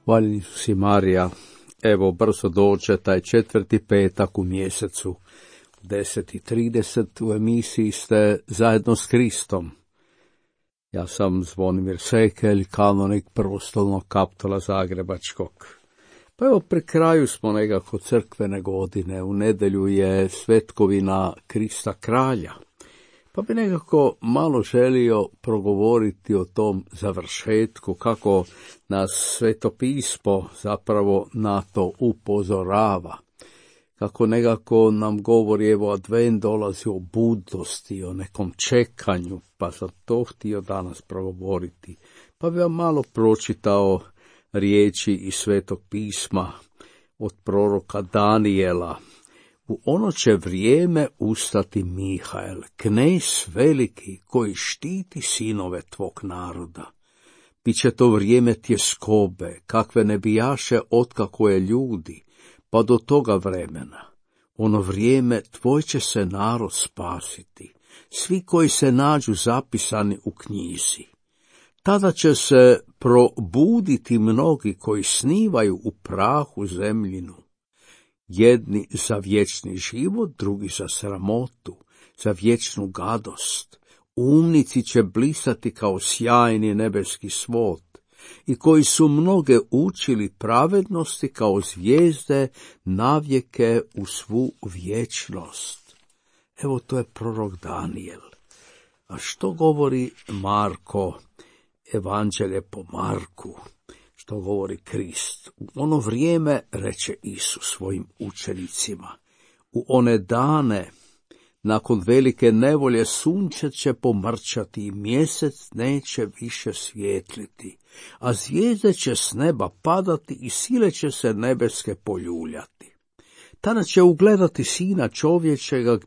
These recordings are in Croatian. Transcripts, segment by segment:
Hvaljeni su si Marija, evo brzo dođe taj 4. petak u mjesecu, u 10:30 u emisiji ste zajedno s Kristom. Ja sam Zvonimir Sekelj, kanonik Prvostolnog kaptola Zagrebačkog. Pa evo pri kraju smo nekako crkvene godine, u nedjelju je svetkovina Krista kralja. Pa bi nekako malo želio progovoriti o tom završetku, kako nas Sveto pismo zapravo na to upozorava. Kako nekako nam govori, evo advent dolazi o budnosti, o nekom čekanju, pa sam to htio danas progovoriti. Pa bi vam malo pročitao riječi iz Svetog pisma od proroka Danijela. U ono će vrijeme ustati Mihael, knez veliki koji štiti sinove tvog naroda. Biće to vrijeme tjeskobe, kakve ne bijaše otkako je ljudi, pa do toga vremena. Ono vrijeme tvoj će se narod spasiti, svi koji se nađu zapisani u knjizi. Tada će se probuditi mnogi koji snivaju u prahu zemljinu. Jedni za vječni život, drugi za sramotu, za vječnu gadost. Umnici će blisati kao sjajni nebeski svod, i koji su mnoge učili pravednosti kao zvijezde navijeke u svu vječnost. Evo to je prorok Danijel. A što govori Marko, evanđelje po Marku? Što govori Krist? U ono vrijeme, reče Isus svojim učenicima, u one dane, nakon velike nevolje, sunce će pomrčati i mjesec neće više svijetliti, a zvijezde će s neba padati i sile će se nebeske poljuljati. Tada će ugledati Sina čovječega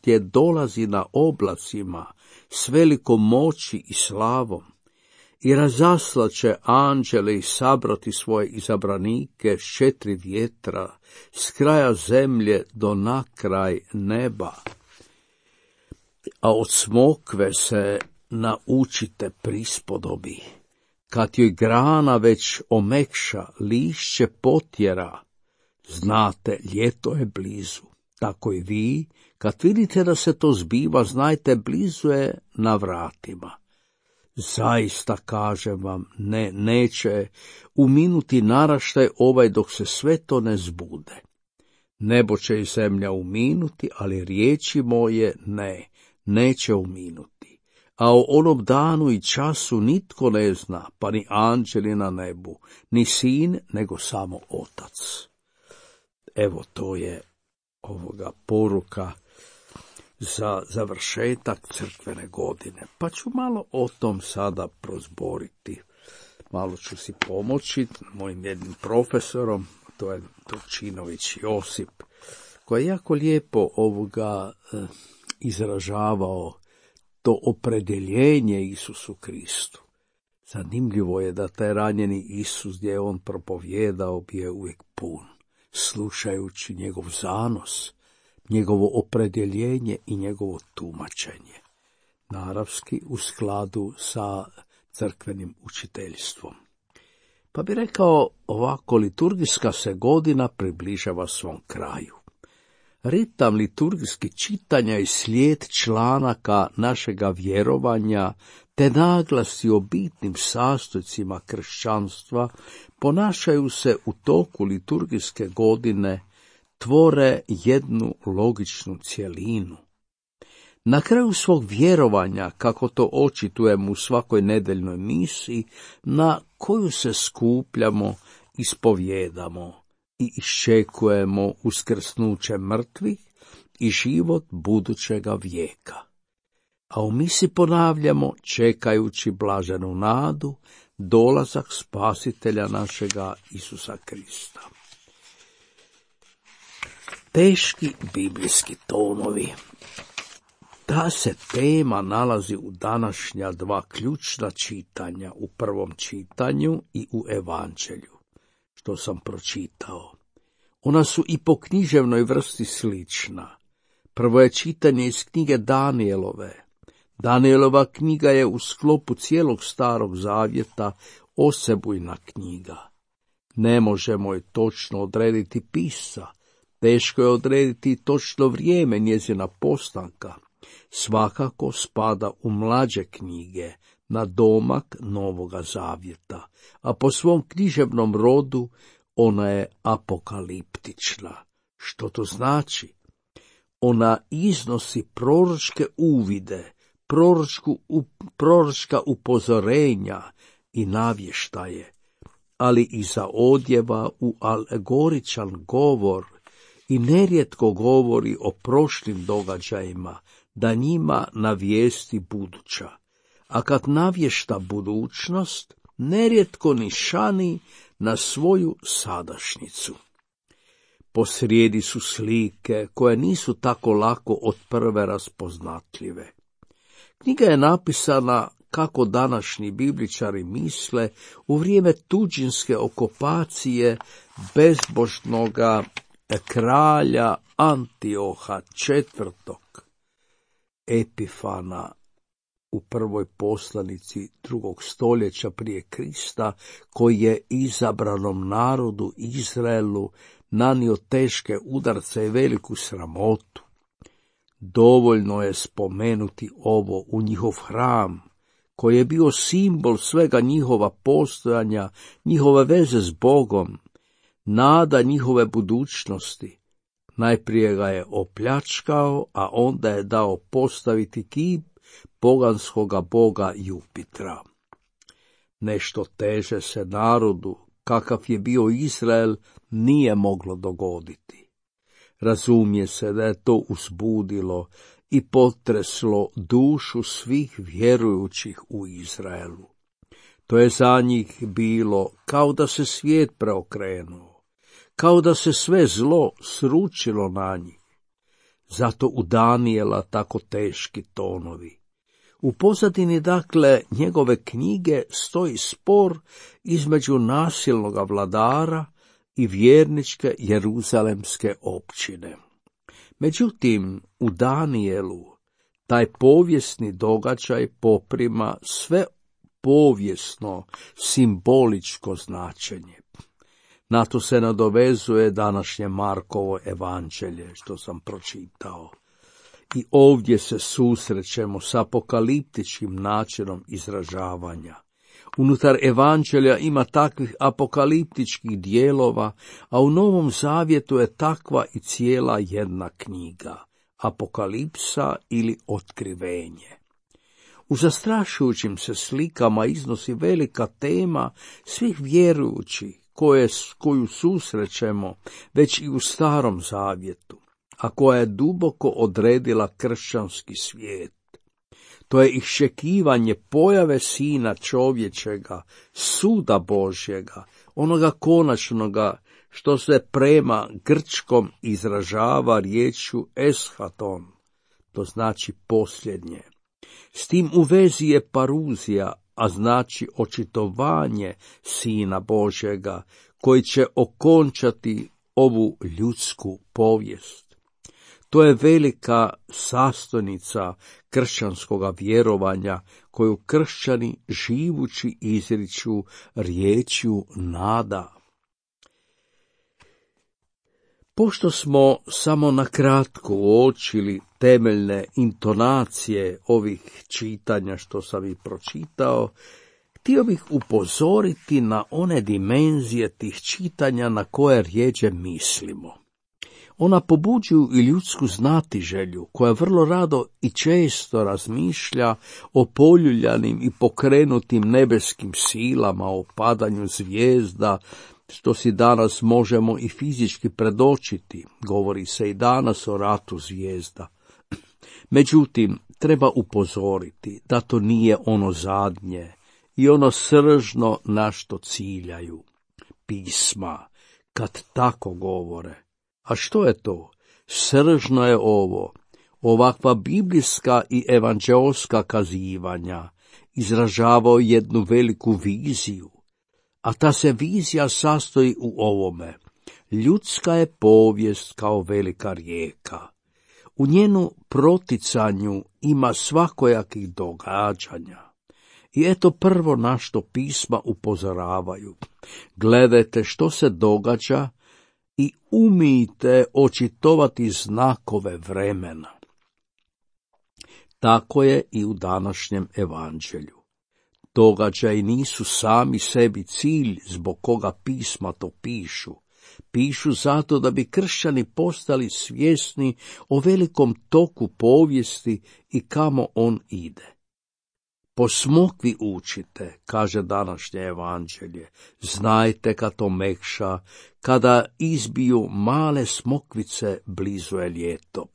gdje dolazi na oblacima s velikom moći i slavom. I razaslat će anđele i sabrati svoje izabranike s 4 vjetra, s kraja zemlje do na kraj neba. A od smokve se naučite prispodobi. Kad joj grana već omekša, lišće potjera, znate, ljeto je blizu. Tako i vi, kad vidite da se to zbiva, znajte, blizu je na vratima. Zaista kažem vam, neće uminuti naraštaj ovaj dok se sve to ne zbude. Nebo će i zemlja uminuti, ali riječi moje neće uminuti. A o onom danu i času nitko ne zna, pa ni anđeli na nebu, ni sin, nego samo Otac. Evo to je ovoga poruka za završetak crkvene godine. Pa ću malo o tom sada prozboriti. Malo ću si pomoći mojim jednim profesorom, to je Turčinović Josip, koji je jako lijepo izražavao to opredjeljenje Isusu Kristu. Zanimljivo je da taj ranjeni Isus, gdje je on propovijedao, bio uvijek pun, slušajući njegov zanos, njegovo opredjeljenje i njegovo tumačenje, naravski u skladu sa crkvenim učiteljstvom. Pa bi rekao ovako, liturgijska se godina približava svom kraju. Ritam liturgijski čitanja i slijed članaka našega vjerovanja te naglasi o bitnim sastojcima kršćanstva ponašaju se u toku liturgijske godine, tvore jednu logičnu cjelinu. Na kraju svog vjerovanja, kako to očitujemo u svakoj nedeljnoj misi, na koju se skupljamo, ispovjedamo i iščekujemo uskrsnuće mrtvih i život budućega vijeka. A u misi ponavljamo, čekajući blaženu nadu, dolazak spasitelja našega Isusa Krista. Teški biblijski tonovi. Ta se tema nalazi u današnja dva ključna čitanja, u prvom čitanju i u evanđelju, što sam pročitao. Ona su i po književnoj vrsti slična. Prvo je čitanje iz knjige Danijelove. Danijelova knjiga je u sklopu cijelog Starog zavjeta osebujna knjiga. Ne možemo je točno odrediti pisca, teško je odrediti točno vrijeme njezina postanka. Svakako spada u mlađe knjige, na domak Novoga zavjeta, a po svom književnom rodu ona je apokaliptična. Što to znači? Ona iznosi proročke uvide, proročka upozorenja i navještaje, ali i zaodjeva u alegoričan govor i nerijetko govori o prošlim događajima, da njima navijesti buduća. A kad navješta budućnost, nerijetko nišani na svoju sadašnjicu. Posrijedi su slike koje nisu tako lako od prve raspoznatljive. Knjiga je napisana, kako današnji bibličari misle, u vrijeme tuđinske okupacije bezbožnoga kralja Antioha IV. Epifana u prvoj poslanici 2. stoljeća prije Krista, koji je izabranom narodu Izraelu nanio teške udarce i veliku sramotu. Dovoljno je spomenuti ovo u njihov hram, koji je bio simbol svega njihova postojanja, njihove veze s Bogom, nada njihove budućnosti. Najprije ga je opljačkao, a onda je dao postaviti kip poganskoga boga Jupitra. Nešto teže se narodu, kakav je bio Izrael, nije moglo dogoditi. Razumije se da je to uzbudilo i potreslo dušu svih vjerujućih u Izraelu. To je za njih bilo kao da se svijet preokrenuo, kao da se sve zlo sručilo na njih. Zato u Danijela tako teški tonovi. U pozadini, dakle, njegove knjige stoji spor između nasilnoga vladara i vjerničke jeruzalemske općine. Međutim, u Danijelu taj povijesni događaj poprima sve povijesno, simboličko značenje. Na to se nadovezuje današnje Markovo evanđelje, što sam pročitao. I ovdje se susrećemo s apokaliptičkim načinom izražavanja. Unutar evanđelja ima takvih apokaliptičkih dijelova, a u Novom zavjetu je takva i cijela jedna knjiga, Apokalipsa ili Otkrivenje. U zastrašujućim se slikama iznosi velika tema svih vjerujućih, koju susrećemo već i u Starom zavjetu, a koja je duboko odredila kršćanski svijet. To je iščekivanje pojave Sina čovječega, suda Božjega, onoga konačnoga, što se prema grčkom izražava riječju eschaton, to znači posljednje. S tim u vezi je paruzija, a znači očitovanje Sina Božjega, koji će okončati ovu ljudsku povijest. To je velika sastojnica kršćanskoga vjerovanja, koju kršćani živući izriču riječju nada. Pošto smo samo na kratko uočili temeljne intonacije ovih čitanja što sam ih pročitao, htio bih upozoriti na one dimenzije tih čitanja na koje rjeđe mislimo. Ona pobuđuju i ljudsku znatiželju, koja vrlo rado i često razmišlja o poljuljanim i pokrenutim nebeskim silama, o padanju zvijezda, što si danas možemo i fizički predočiti. Govori se i danas o ratu zvijezda. Međutim, treba upozoriti da to nije ono zadnje i ono sržno na što ciljaju pisma, kad tako govore. A što je to? Sržno je ovo, ovakva biblijska i evanđeoska kazivanja izražavao jednu veliku viziju, a ta se vizija sastoji u ovome. Ljudska je povijest kao velika rijeka. U njenu proticanju ima svakojakih događanja. I eto prvo na što pisma upozoravaju. Gledajte što se događa i umijte očitovati znakove vremena. Tako je i u današnjem evanđelju. Događaji nisu sami sebi cilj zbog koga pisma to pišu. Pišu zato da bi kršćani postali svjesni o velikom toku povijesti i kamo on ide. Po smokvi učite, kaže današnje evanđelje, znajte kad to mekša, kada izbiju male smokvice, blizu je ljeto.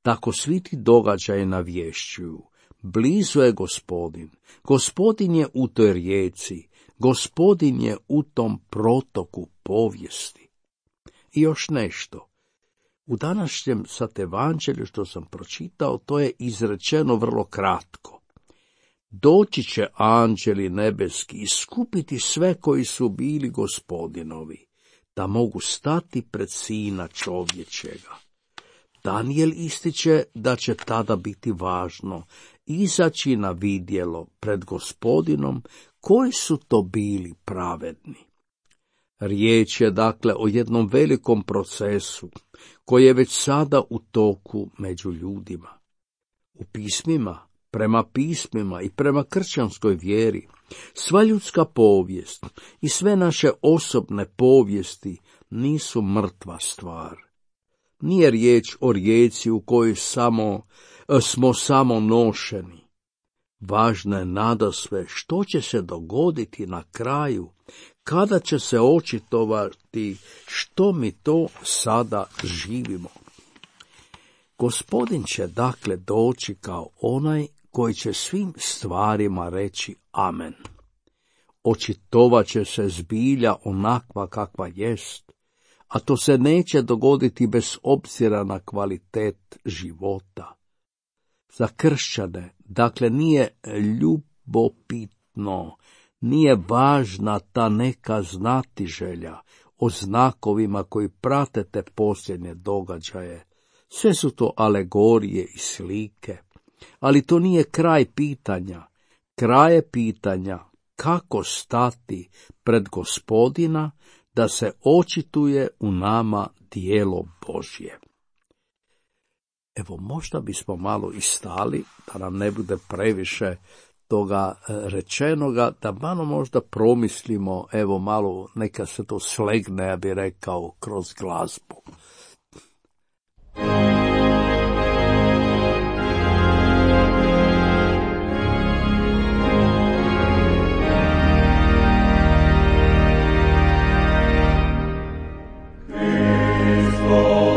Tako svi ti događaji navješćuju, blizu je Gospodin, Gospodin je u toj rijeci, Gospodin je u tom protoku povijesti. I još nešto. U današnjem sad evanđelju što sam pročitao, to je izrečeno vrlo kratko. Doći će anđeli nebeski i skupiti sve koji su bili Gospodinovi, da mogu stati pred Sina čovječega. Danijel ističe da će tada biti važno izaći na vidjelo pred Gospodinom koji su to bili pravedni. Riječ je dakle o jednom velikom procesu koji je već sada u toku među ljudima. U pismima, prema pismima i prema kršćanskoj vjeri, sva ljudska povijest i sve naše osobne povijesti nisu mrtva stvar. Nije riječ o rijeci u kojoj smo samo nošeni. Važno je nadasve što će se dogoditi na kraju, kada će se očitovati što mi to sada živimo. Gospodin će dakle doći kao onaj koji će svim stvarima reći amen. Očitovat će se zbilja onakva kakva jest, a to se neće dogoditi bez obzira na kvalitet života. Za kršćane, dakle, nije ljubopitno, nije važna ta neka znatiželja o znakovima koji prate te posljednje događaje. Sve su to alegorije i slike, ali to nije kraj pitanja. Kraj je pitanja kako stati pred Gospodina da se očituje u nama djelo Božje. Evo, možda bismo malo i stali, da nam ne bude previše toga rečenoga, da malo možda promislimo, evo malo, neka se to slegne, ja bih rekao, kroz glazbu. Oh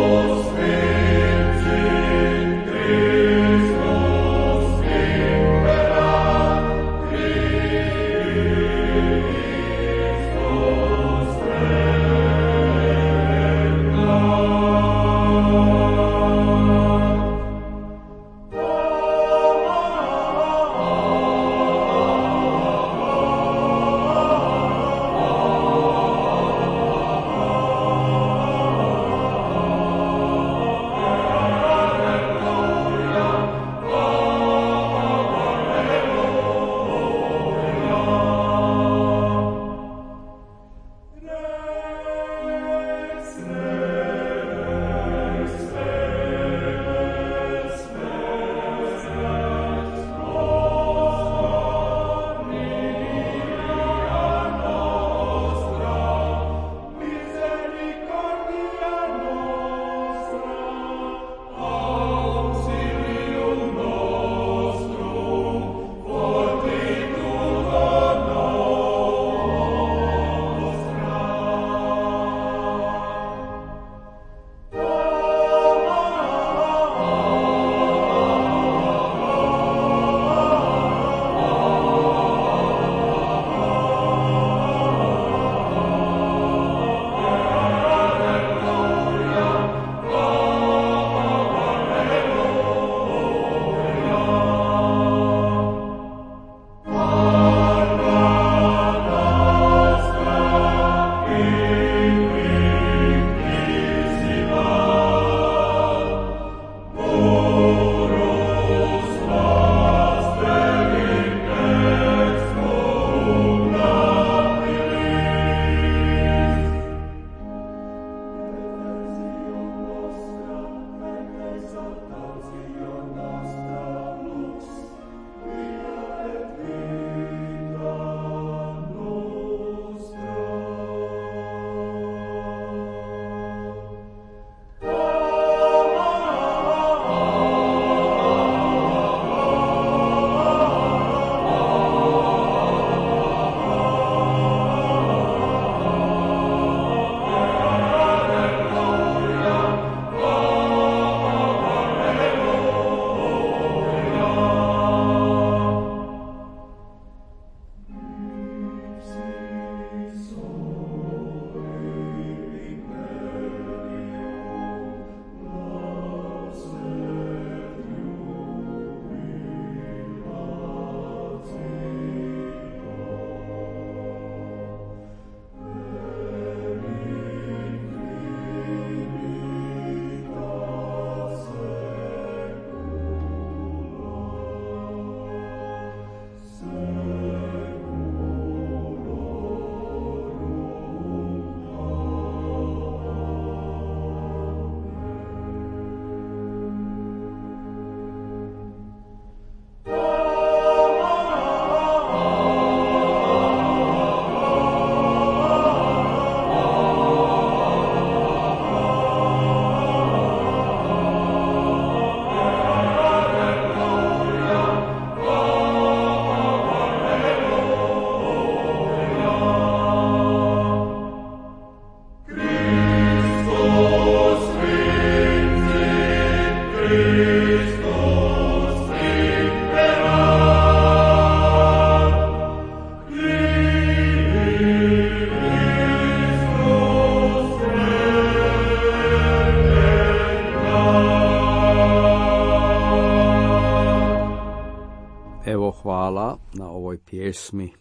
Hvala na ovoj pjesmi.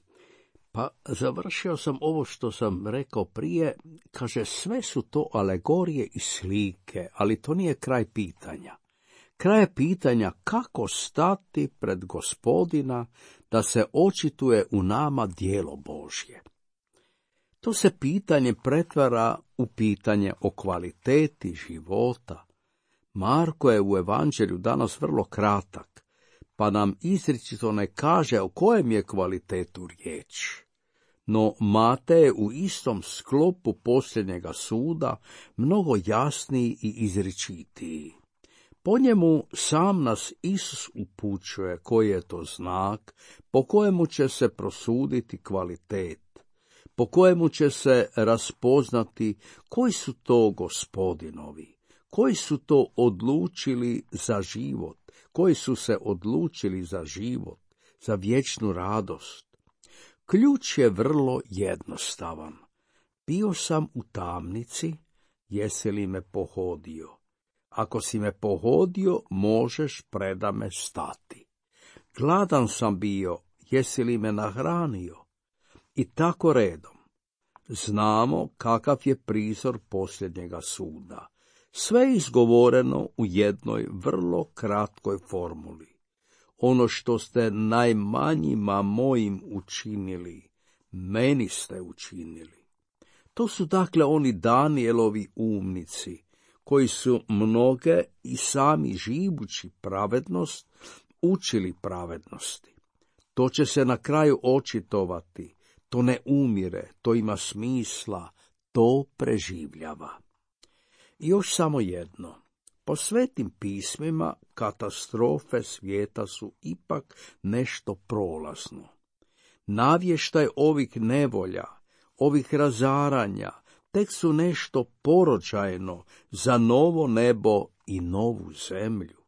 Pa završio sam ovo što sam rekao prije, kaže sve su to alegorije i slike, ali to nije kraj pitanja. Kraj je pitanja kako stati pred Gospodina da se očituje u nama djelo Božje. To se pitanje pretvara u pitanje o kvaliteti života. Marko je u evanđelju danas vrlo kratak, pa nam izričito ne kaže o kojem je kvalitetu riječ. No Matej je u istom sklopu posljednjega suda mnogo jasniji i izričitiji. Po njemu sam nas Isus upućuje koji je to znak po kojemu će se prosuditi kvalitet, po kojemu će se raspoznati koji su to Gospodinovi, koji su to odlučili za život, koji su se odlučili za život, za vječnu radost. Ključ je vrlo jednostavan. Bio sam u tamnici, jesi li me pohodio? Ako si me pohodio, možeš preda me stati. Gladan sam bio, jesi li me nahranio? I tako redom. Znamo kakav je prizor posljednjega suda. Sve izgovoreno u jednoj vrlo kratkoj formuli. Ono što ste najmanjima mojim učinili, meni ste učinili. To su dakle oni Danielovi umnici, koji su mnoge i sami živući pravednost, učili pravednosti. To će se na kraju očitovati, to ne umire, to ima smisla, to preživljava. I još samo jedno. Po svetim pismima katastrofe svijeta su ipak nešto prolazno. Navještaj ovih nevolja, ovih razaranja, tek su nešto porođajno za novo nebo i novu zemlju.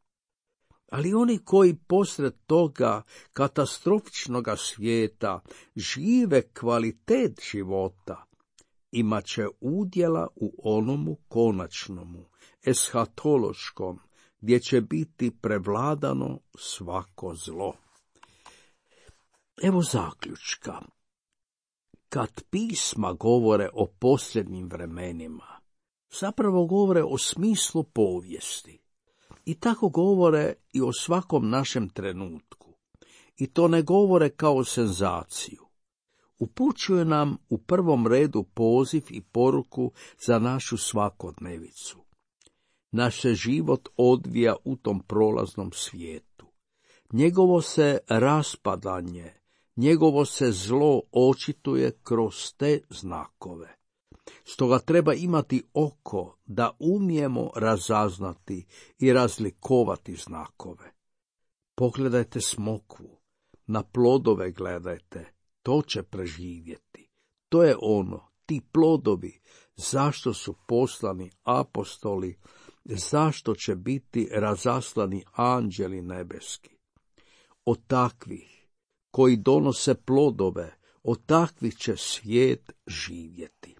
Ali oni koji posred toga katastrofičnoga svijeta žive kvalitet života, imat će udjela u onomu konačnomu, eshatološkom, gdje će biti prevladano svako zlo. Evo zaključka. Kad pisma govore o posljednjim vremenima, zapravo govore o smislu povijesti. I tako govore i o svakom našem trenutku. I to ne govore kao senzaciju. Upućuje nam u prvom redu poziv i poruku za našu svakodnevicu. Naš se život odvija u tom prolaznom svijetu. Njegovo se raspadanje, njegovo se zlo očituje kroz te znakove. Stoga treba imati oko da umijemo razaznati i razlikovati znakove. Pogledajte smokvu, na plodove gledajte, to će preživjeti. To je ono, ti plodovi, zašto su poslani apostoli, zašto će biti razaslani anđeli nebeski. Od takvih koji donose plodove, od takvih će svijet živjeti.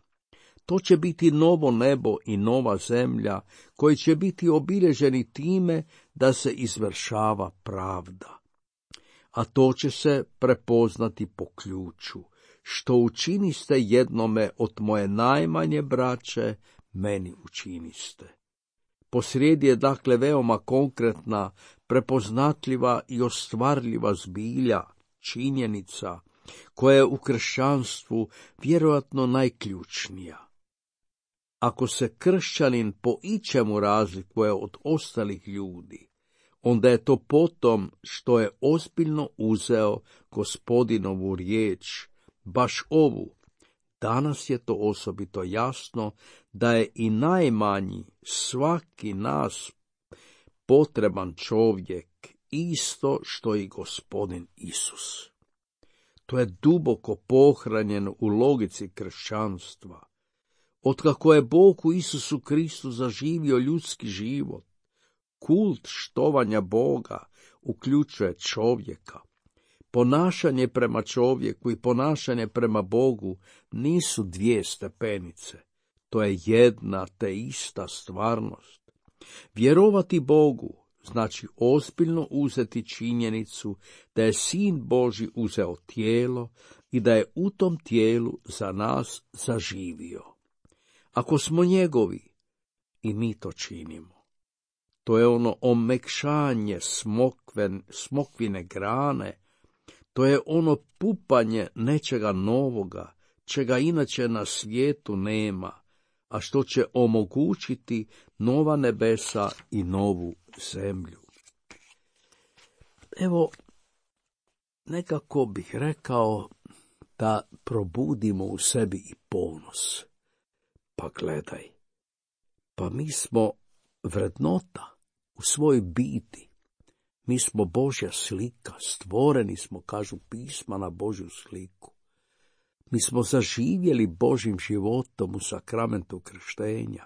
To će biti novo nebo i nova zemlja, koji će biti obilježeni time da se izvršava pravda. A to će se prepoznati po ključu, što učiniste jednome od moje najmanje braće, meni učiniste. Posrijedi je dakle veoma konkretna, prepoznatljiva i ostvarljiva zbilja, činjenica, koja je u kršćanstvu vjerojatno najključnija. Ako se kršćanin po ičemu razlikuje od ostalih ljudi, onda je to potom što je ozbiljno uzeo Gospodinovu riječ, baš ovu. Danas je to osobito jasno da je i najmanji, svaki nas potreban čovjek, isto što i Gospodin Isus. To je duboko pohranjeno u logici kršćanstva. Otkako je Bog u Isusu Kristu zaživio ljudski život, kult štovanja Boga uključuje čovjeka. Ponašanje prema čovjeku i ponašanje prema Bogu nisu dvije stepenice. To je jedna te ista stvarnost. Vjerovati Bogu znači ozbiljno uzeti činjenicu da je Sin Božji uzeo tijelo i da je u tom tijelu za nas zaživio. Ako smo njegovi, i mi to činimo. To je ono omekšanje smokvine grane, to je ono pupanje nečega novoga, čega inače na svijetu nema, a što će omogućiti nova nebesa i novu zemlju. Evo, nekako bih rekao da probudimo u sebi i ponos. Pa gledaj, pa mi smo vrednota u svojoj biti. Mi smo Božja slika, stvoreni smo, kažu pisma, na Božju sliku. Mi smo zaživjeli Božjim životom u sakramentu krštenja.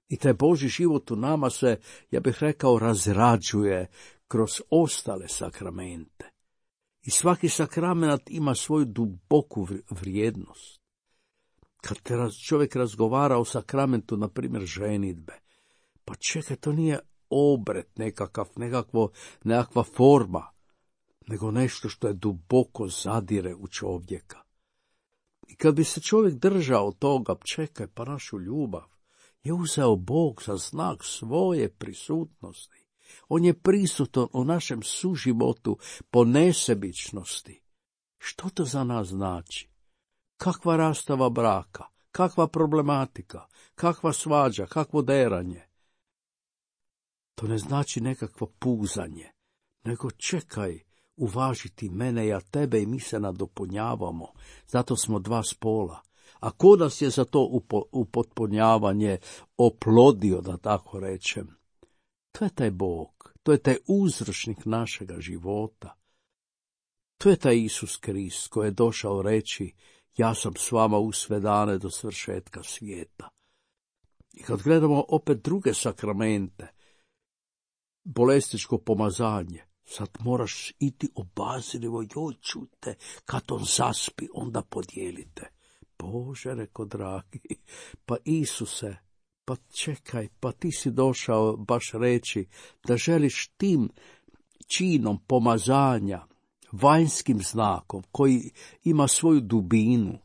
I taj Božji život u nama se, ja bih rekao, razrađuje kroz ostale sakramente. I svaki sakrament ima svoju duboku vrijednost. Kad čovjek razgovara o sakramentu, na primjer ženidbe, pa čekaj, to nije obred nekakva forma, nego nešto što je duboko zadire u čovjeka. I kad bi se čovjek držao toga, čekaj, pa našu ljubav je uzeo Bog za znak svoje prisutnosti. On je prisutan u našem suživotu po nesebičnosti. Što to za nas znači? Kakva rastava braka, kakva problematika, kakva svađa, kakvo deranje. To ne znači nekakvo puzanje, nego čekaj, uvažiti mene, ja tebe, i mi se nadopunjavamo. Zato smo dva spola. A ko nas je za to upotpunjavanje oplodio, da tako rečem? To je taj Bog, to je taj uzročnik našega života. To je taj Isus Krist koji je došao reći: ja sam s vama u sve dane do svršetka svijeta. I kad gledamo opet druge sakramente, bolesničko pomazanje, sad moraš iti obazrivo, joj čujte, kad on zaspi, onda podijelite. Bože, reko dragi, pa Isuse, pa čekaj, pa ti si došao baš reći da želiš tim činom pomazanja, vanjskim znakom, koji ima svoju dubinu,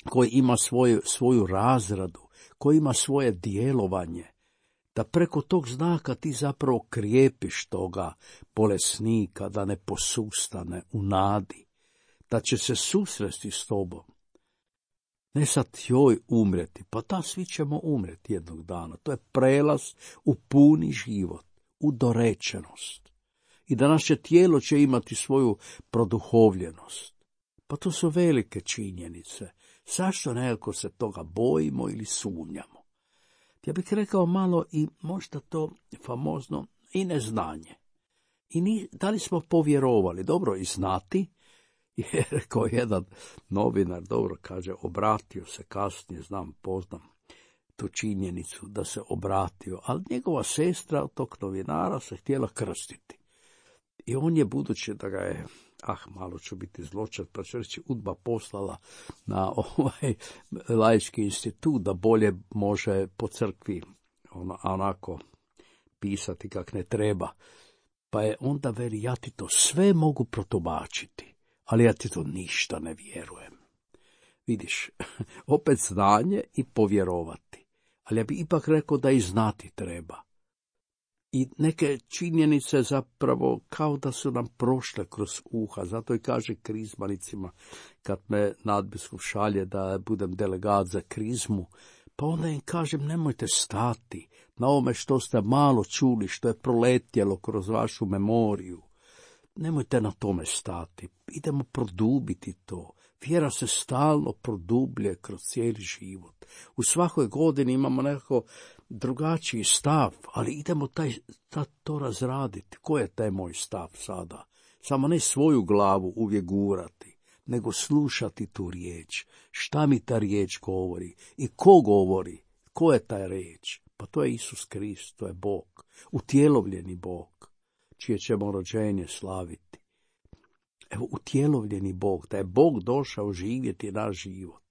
koji ima svoju razradu, koji ima svoje djelovanje, da preko tog znaka ti zapravo krijepiš toga bolesnika, da ne posustane u nadi, da će se susresti s tobom. Ne sad joj umreti, pa da, svi ćemo umreti jednog dana. To je prelaz u puni život, u dorečenost. I da naše tijelo će imati svoju produhovljenost. Pa to su velike činjenice. Zašto nekako se toga bojimo ili sumnjamo? Ja bih rekao malo i možda to famozno i neznanje. I da li smo povjerovali? Dobro, i znati, jer rekao jedan novinar, dobro kaže, obratio se kasnije, poznam tu činjenicu da se obratio, ali njegova sestra od tog novinara se htjela krstiti. I on je, budući da ga je, malo ću biti zločest, pa ću reći, UDBA poslala na laički institut da bolje može po crkvi onako pisati kak ne treba. Pa je onda veli, ja ti to sve mogu protumačiti, ali ja ti to ništa ne vjerujem. Vidiš, opet znanje i povjerovati. Ali ja bi ipak rekao da i znati treba. I neke činjenice zapravo kao da su nam prošle kroz uha. Zato i kaže krizmanicima, kad me nadbiskup šalje da budem delegat za krizmu, pa onda im kažem, nemojte stati na ovome što ste malo čuli, što je proletjelo kroz vašu memoriju. Nemojte na tome stati, idemo produbiti to. Vjera se stalno produblje kroz cijeli život. U svakoj godini imamo nekako drugačiji stav, ali idemo to razraditi. Ko je taj moj stav sada? Samo ne svoju glavu uvijek gurati, nego slušati tu riječ. Šta mi ta riječ govori? I ko govori? Ko je ta riječ? Pa to je Isus Krist, to je Bog, utjelovljeni Bog, čije ćemo rođenje slaviti. Evo, utjelovljeni Bog, da je Bog došao živjeti naš život.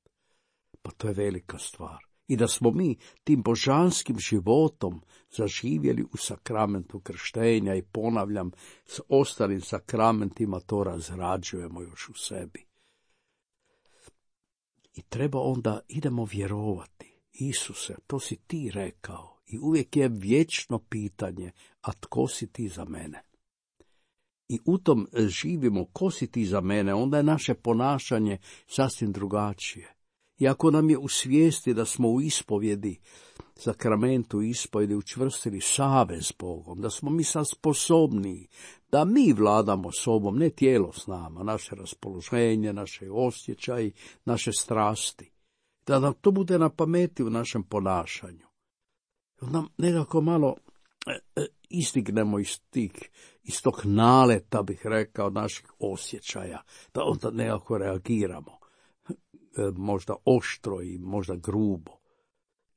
Pa to je velika stvar. i da smo mi tim božanskim životom zaživjeli u sakramentu krštenja i ponavljam, s ostalim sakramentima to razrađujemo još u sebi. I treba onda, idemo vjerovati. Isuse, to si ti rekao i uvijek je vječno pitanje, a tko si ti za mene? I u tom živimo, ko si ti za mene, onda je naše ponašanje sasvim drugačije. I ako nam je u svijesti da smo u ispovjedi, sakramentu ispovjedi učvrstili savez s Bogom, da smo mi sad sposobniji, da mi vladamo sobom, ne tijelo s nama, naše raspoloženje, naše osjećaji, naše strasti, da nam to bude na pameti u našem ponašanju. Onda nekako malo istignemo iz tog naleta, bih rekao, naših osjećaja, da onda nekako reagiramo. Možda oštro i možda grubo.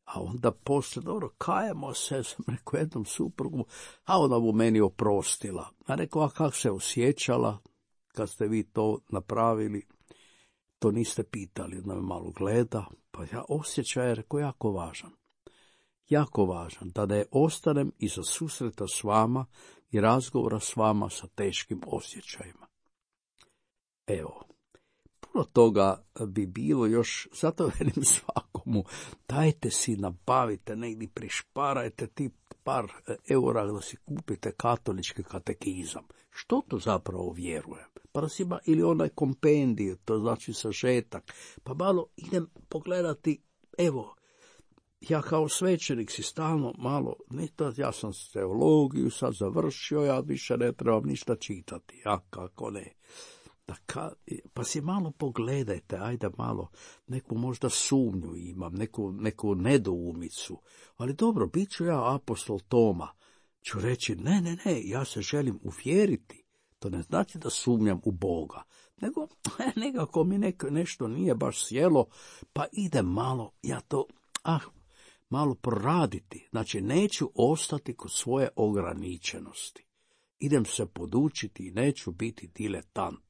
A onda poslije, dobro, kajemo se, sam rekao jednom suprugu, a ona mu meni oprostila. A rekao, a kako se osjećala kad ste vi to napravili? To niste pitali, ona me malo gleda, pa ja osjećaj je, rekao, jako važan. Jako važan, da ne ostanem iza susreta s vama i razgovora s vama sa teškim osjećajima. Evo. Puno toga bi bilo još, zato velim svakomu, dajte si, nabavite, negdje prišparajte ti par eura da si kupite katolički katekizam. Što to zapravo vjerujem? Pa da si ima ili onaj kompendij, to znači sažetak, pa malo idem pogledati, evo, ja kao svećenik si stalno malo, ja sam teologiju sad završio, ja više ne trebam ništa čitati, ja kako ne. Pa si malo pogledajte, ajde malo, neku možda sumnju imam, neku nedoumicu, ali dobro, bit ću ja apostol Toma, ću reći ne, ja se želim uvjeriti, to ne znači da sumnjam u Boga, nego nekako mi nešto nije baš sjelo, pa ide malo, ja to, malo proraditi, znači neću ostati kod svoje ograničenosti, idem se podučiti i neću biti diletant.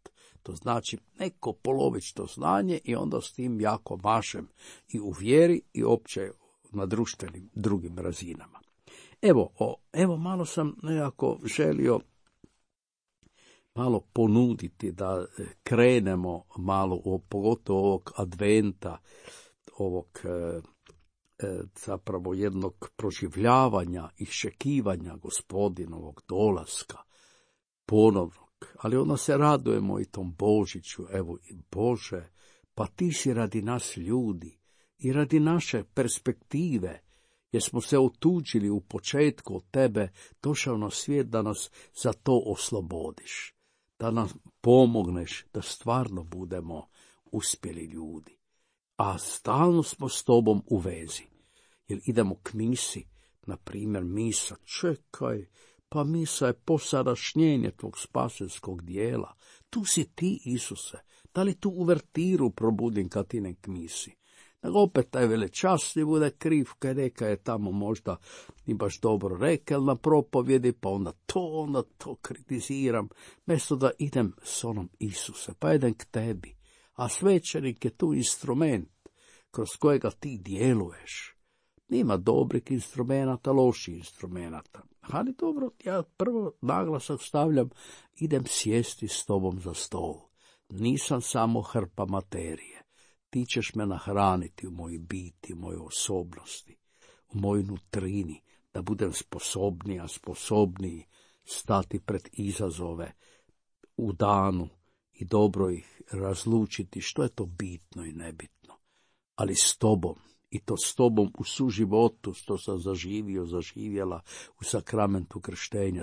To znači neko polovično znanje i onda s tim jako mašem i u vjeri i opće na društvenim drugim razinama. Evo malo sam nekako želio malo ponuditi da krenemo malo, pogotovo ovog adventa, ovog zapravo jednog proživljavanja i iščekivanja Gospodinovog dolaska ponovno. Ali onda se radujemo i tom Božiću, evo Bože, pa ti si radi nas ljudi i radi naše perspektive, jer smo se otuđili u početku od tebe, došao na svijet da nas za to oslobodiš, da nam pomogneš da stvarno budemo uspjeli ljudi. A stalno smo s tobom u vezi, jer idemo k misi, na primjer misa, čekaj, pa misa je posadašnjenje tvog spasenskog dijela. Tu si ti, Isuse. Da li tu uvertiru probudim kad ti ne k misi? Nego opet taj velečasni bude kriv, kaj neka je tamo možda ni baš dobro rekel na propovjedi, pa onda to kritiziram. Mjesto da idem s onom Isuse, pa idem k tebi. A svećenik je tu instrument kroz kojega ti djeluješ. Nima dobrih instrumenata, loših instrumenata. Ali dobro, ja prvo naglasak stavljam, idem sjesti s tobom za stol. Nisam samo hrpa materije. Ti ćeš me nahraniti u mojoj biti, u mojoj osobnosti, u mojoj nutrini, da budem sposobniji stati pred izazove u danu i dobro ih razlučiti što je to bitno i nebitno. Ali s tobom, i to s tobom u suživotu, što sam zaživjela u sakramentu krštenja,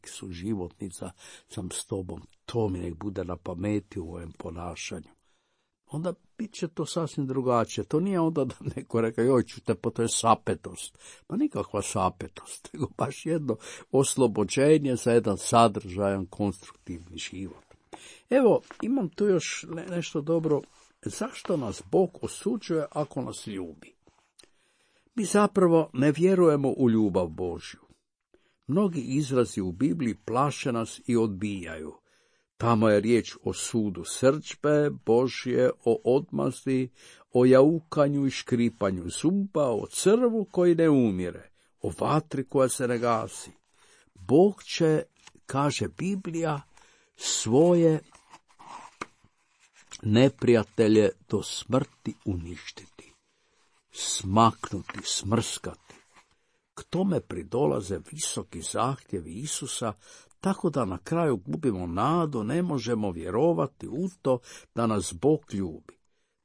suživotnica sam s tobom, to mi nek bude na pameti u ovom ponašanju. Onda bit će to sasvim drugačije. To nije onda da neko reka, joj čute, pa to je sapetost. Pa nikakva sapetost, nego baš jedno oslobođenje za jedan sadržajan, konstruktivni život. Evo, imam tu još nešto dobro. Zašto nas Bog osuđuje ako nas ljubi? Mi zapravo ne vjerujemo u ljubav Božju. Mnogi izrazi u Bibliji plaše nas i odbijaju. Tamo je riječ o sudu srdžbe Božje, o odmazdi, o jaukanju i škripanju zuba, o crvu koji ne umire, o vatri koja se ne gasi. Bog će, kaže Biblija, svoje neprijatelje do smrti uništiti, smaknuti, smrskati. K tome pridolaze visoki zahtjevi Isusa, tako da na kraju gubimo nadu, ne možemo vjerovati u to da nas Bog ljubi,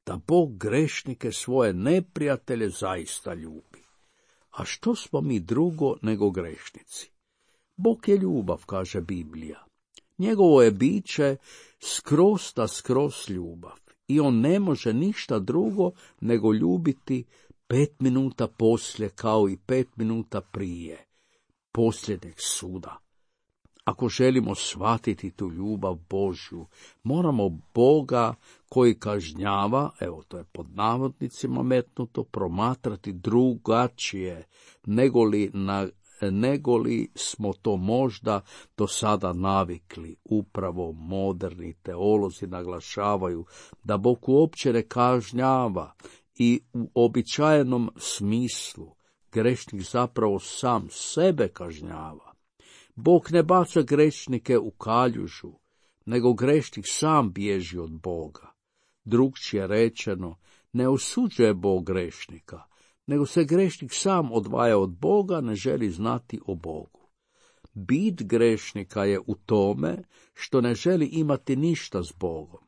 da Bog grešnike, svoje neprijatelje, zaista ljubi. A što smo mi drugo nego grešnici? Bog je ljubav, kaže Biblija. Njegovo je biće skroz da skroz ljubav i on ne može ništa drugo nego ljubiti 5 minuta poslije kao i 5 minuta prije posljednjeg suda. Ako želimo shvatiti tu ljubav Božju, moramo Boga koji kažnjava, evo to je pod navodnicima metnuto, promatrati drugačije nego li smo to možda do sada navikli. Upravo moderni teolozi naglašavaju da Bog uopće ne kažnjava i u običajenom smislu grešnik zapravo sam sebe kažnjava. Bog ne baca grešnike u kaljužu, nego grešnik sam bježi od Boga. Drugčije rečeno, ne osuđuje Bog grešnika, nego se grešnik sam odvaja od Boga, ne želi znati o Bogu. Bit grešnika je u tome što ne želi imati ništa s Bogom.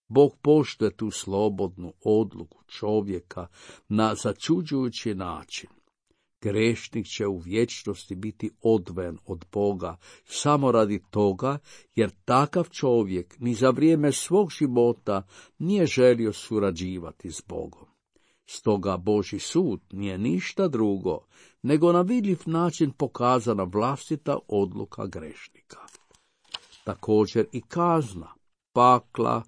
Bog poštuje tu slobodnu odluku čovjeka na začuđujući način. Grešnik će u vječnosti biti odvojen od Boga samo radi toga, jer takav čovjek ni za vrijeme svog života nije želio surađivati s Bogom. Stoga Božji sud nije ništa drugo, nego na vidljiv način pokazana vlastita odluka grešnika. Također i kazna, pakla,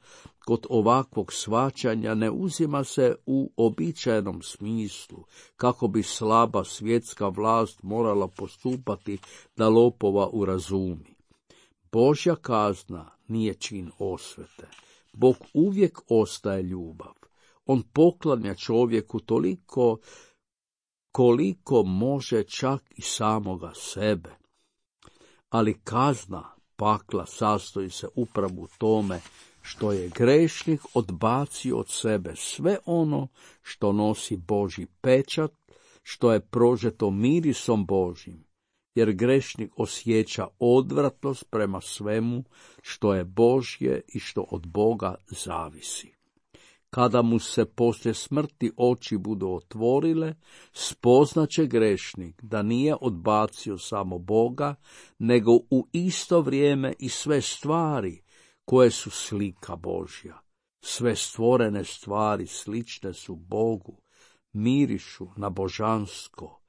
kod ovakvog shvaćanja ne uzima se u običajnom smislu, kako bi slaba svjetska vlast morala postupati da lopova urazumi. Božja kazna nije čin osvete. Bog uvijek ostaje ljubav. On poklanja čovjeku toliko koliko može, čak i samoga sebe. Ali kazna pakla sastoji se upravo u tome što je grešnik odbacio od sebe sve ono što nosi Božji pečat, što je prožeto mirisom Božjim, jer grešnik osjeća odvratnost prema svemu što je Božje i što od Boga zavisi. Kada mu se poslije smrti oči budu otvorile, spoznaće grešnik da nije odbacio samo Boga, nego u isto vrijeme i sve stvari koje su slika Božja. Sve stvorene stvari slične su Bogu, mirišu na božansko,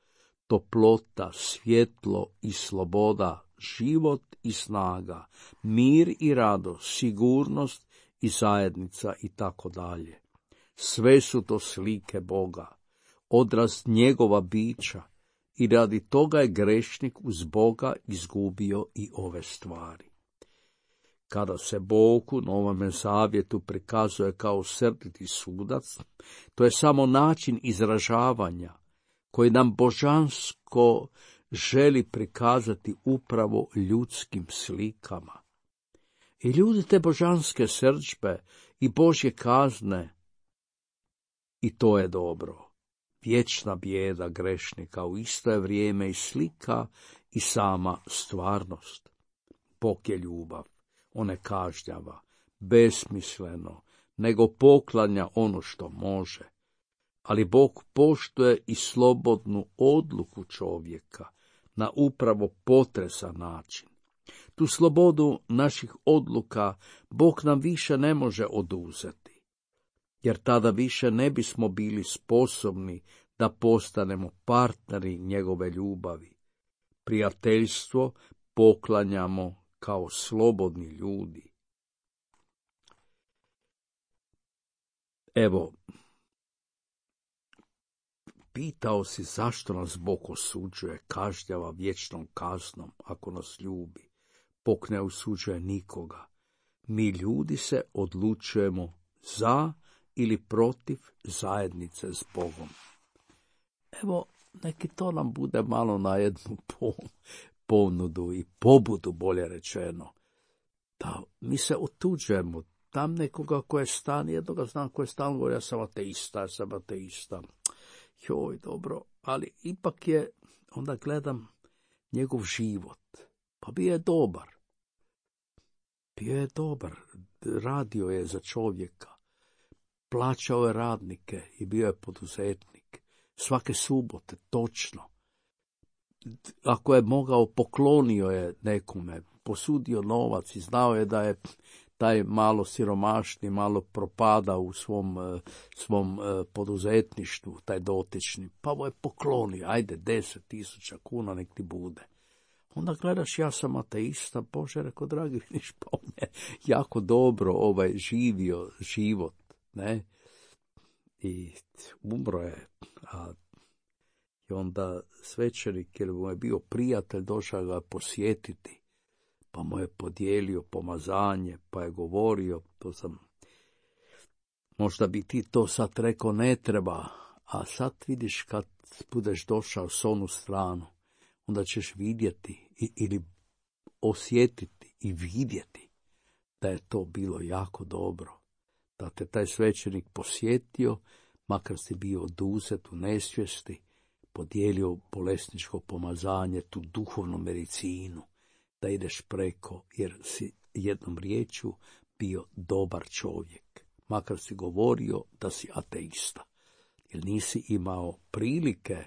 toplota, svjetlo i sloboda, život i snaga, mir i radost, sigurnost i zajednica i tako dalje. Sve su to slike Boga, odraz njegova bića, i radi toga je grešnik uz Boga izgubio i ove stvari. Kada se Bog u Novome Zavjetu prikazuje kao srditi sudac, to je samo način izražavanja koji nam božansko želi prikazati upravo ljudskim slikama. I ljudi te božanske srdžbe i Božje kazne, i to je dobro. Vječna bijeda grešnika u isto je vrijeme i slika i sama stvarnost. Bog je ljubav, on ne kažnjava, besmisleno, nego poklanja ono što može. Ali Bog poštuje i slobodnu odluku čovjeka na upravo potresan način. Tu slobodu naših odluka Bog nam više ne može oduzeti, jer tada više ne bismo bili sposobni da postanemo partneri njegove ljubavi. Prijateljstvo poklanjamo kao slobodni ljudi. Evo, pitao si zašto nas Bog osuđuje, kažnjava vječnom kaznom ako nas ljubi. Bog ne osuđuje nikoga. Mi ljudi se odlučujemo za ili protiv zajednice s Bogom. Evo, neki to nam bude malo na jednu ponudu i pobudu, bolje rečeno. Da mi se otuđujemo, tam nekoga ko je stan, jednoga znam ko je stan, govori ja sam ateista. Joj, dobro, ali ipak je, onda gledam njegov život, pa bio je dobar, radio je za čovjeka, plaćao je radnike i bio je poduzetnik, svake subote, točno. Ako je mogao, poklonio je nekome, posudio novac i znao je da je taj malo siromašni, malo propada u svom poduzetništvu, taj dotični, pa mu je poklonio, ajde 10.000 kuna nek ti bude. Onda gledaš, ja sam ateista, Bože, rekao, dragi, vidiš, pa on je jako dobro živio život, ne? I umro je, i onda svećenik, jer mu je bio prijatelj, došao ga posjetiti, pa mu je podijelio pomazanje, pa je govorio, možda bi ti to sad rekao ne treba, a sad vidiš kad budeš došao s onu stranu, onda ćeš vidjeti ili osjetiti i vidjeti da je to bilo jako dobro. Da te taj svećenik posjetio, makar si bio oduzet u nesvijesti, podijelio bolesničko pomazanje, tu duhovnu medicinu, da ideš preko, jer si jednom riječju bio dobar čovjek, makar si govorio da si ateista, jer nisi imao prilike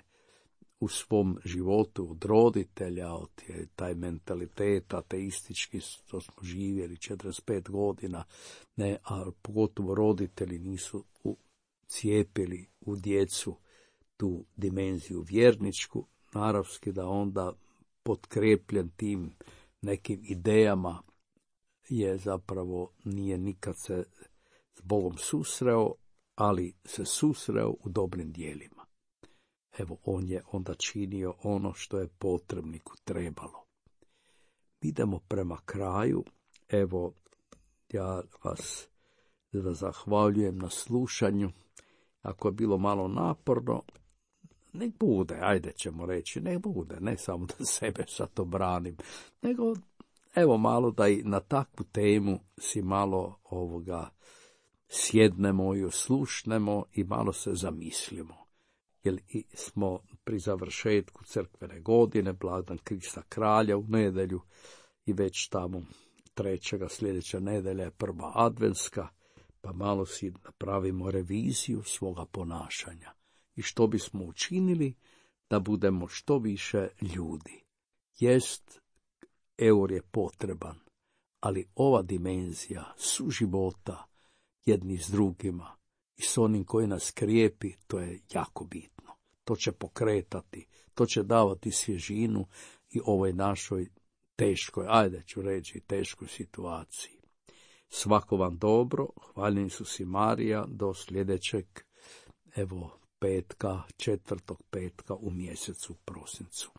u svom životu od roditelja, od taj mentalitet ateistički, to smo živjeli 45 godina, ne, a pogotovo roditelji nisu cijepili u djecu tu dimenziju vjerničku, naravski da onda potkrepljen tim nekim idejama je zapravo nije nikad se s Bogom susreo, ali se susreo u dobrim dijelima. Evo, on je onda činio ono što je potrebniku trebalo. Idemo prema kraju. Evo, ja vas zahvaljujem na slušanju. Ako je bilo malo naporno, nek bude, ajde ćemo reći, nek bude, ne samo da sebe sad to branim, nego evo malo da i na takvu temu si malo sjednemo i oslušnemo i malo se zamislimo. Jer smo pri završetku crkvene godine, blagdan Krista kralja u nedjelju i već tamo 3. sljedeća nedjelja je prva adventska, pa malo si napravimo reviziju svoga ponašanja. I što bismo učinili da budemo što više ljudi. Jest, eur je potreban, ali ova dimenzija suživota jedni s drugima i s onim koji nas krijepi, to je jako bitno. To će pokretati, to će davati svježinu i ovoj našoj teškoj, ajde ću reći, teškoj situaciji. Svako vam dobro, hvaljen Isus i Marija, do sljedećeg, evo, petka, 4. petka u mjesecu prosincu.